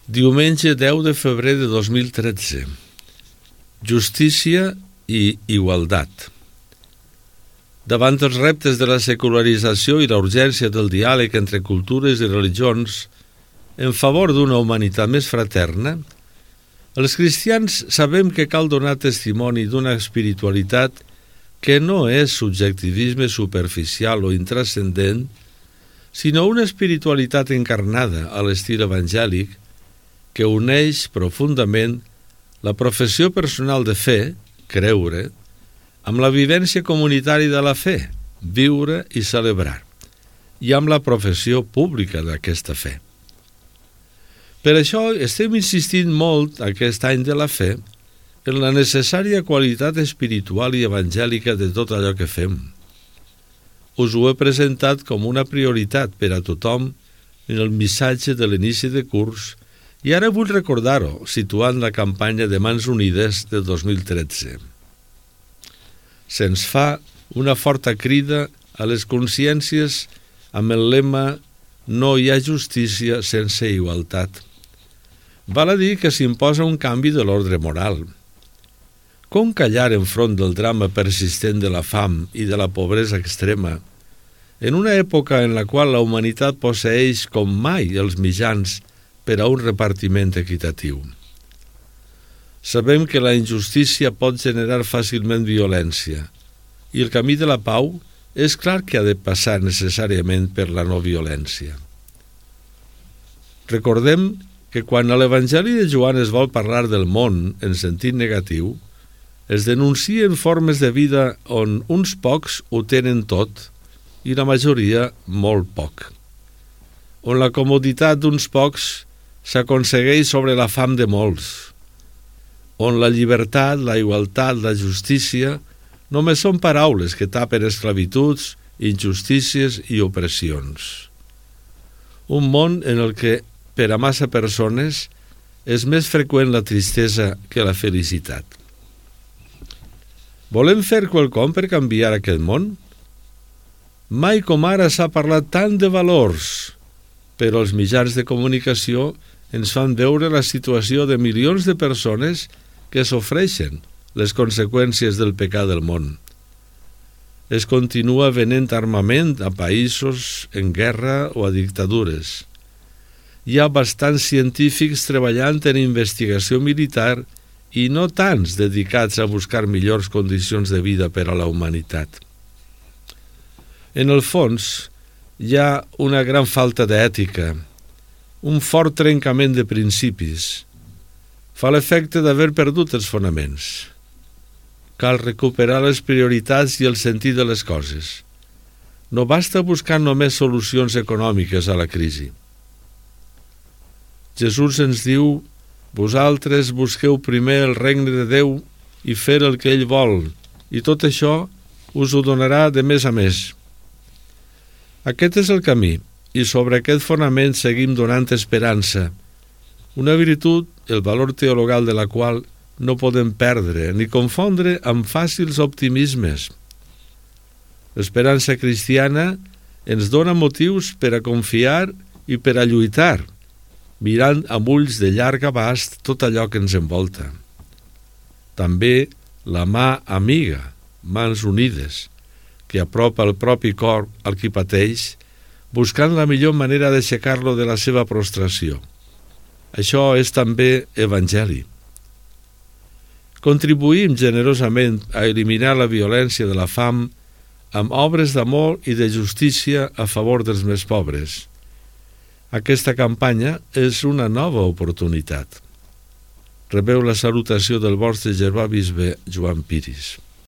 Diumenge 10 de febrer de 2013. Justícia i igualtat. Davant els reptes de la secularització i la urgència del diàleg entre cultures i religions en favor d'una humanitat més fraterna, els cristians sabem que cal donar testimoni d'una espiritualitat que no és subjectivisme superficial o intrascendent, sinó una espiritualitat encarnada a l'estil evangèlic que uneix profundament la professió personal de fe, creure, amb la vivència comunitària de la fe, viure i celebrar, i amb la professió pública d'aquesta fe. Per això estem insistint molt aquest any de la fe en la necessària qualitat espiritual i evangèlica de tot allò que fem. Us ho he presentat com una prioritat per a tothom en el missatge de l'inici de curs i ara vull recordar-ho, situant la campanya de Mans Unides de 2013. Se'ns fa una forta crida a les consciències amb el lema «No hi ha justícia sense igualtat». Val a dir que s'imposa un canvi de l'ordre moral. Com callar enfront del drama persistent de la fam i de la pobresa extrema, en una època en la qual la humanitat posseeix com mai els mitjans per a un repartiment equitatiu? Sabem que la injustícia pot generar fàcilment violència i el camí de la pau és clar que ha de passar necessàriament per la no violència. Recordem que quan a l'Evangeli de Joan es vol parlar del món en sentit negatiu, es denuncien formes de vida on uns pocs ho tenen tot i la majoria molt poc, on la comoditat d'uns pocs s'aconsegueix sobre la fam de molts, on la llibertat, la igualtat, la justícia només són paraules que tapen esclavituds, injustícies i opressions. Un món en el que, per a massa persones, és més freqüent la tristesa que la felicitat. Volem fer quelcom per canviar aquest món? Mai com ara s'ha parlat tant de valors, però els mitjans de comunicació ens fan veure la situació de milions de persones que sofreixen les conseqüències del pecat del món. Es continua venent armament a països en guerra o a dictadures. Hi ha bastants científics treballant en investigació militar i no tants dedicats a buscar millors condicions de vida per a la humanitat. En el fons, hi ha una gran falta d'ètica, un fort trencament de principis. Fa l'efecte d'haver perdut els fonaments. Cal recuperar les prioritats i el sentit de les coses. No basta buscar només solucions econòmiques a la crisi. Jesús ens diu: «Vosaltres busqueu primer el regne de Déu i fer el que ell vol, i tot això us ho donarà de més a més». Aquest és el camí, i sobre aquest fonament seguim donant esperança, una virtut, el valor teologal de la qual no podem perdre ni confondre amb fàcils optimismes. L'esperança cristiana ens dona motius per a confiar i per a lluitar, mirant amb ulls de llarg abast tot allò que ens envolta. També la mà amiga, Mans Unides, que apropa el propi cor al qui pateix, buscant la millor manera d'aixecar-lo de la seva prostració. Això és també evangeli. Contribuïm generosament a eliminar la violència de la fam amb obres d'amor i de justícia a favor dels més pobres. Aquesta campanya és una nova oportunitat. Rebeu la salutació del vostre germà bisbe Joan Piris.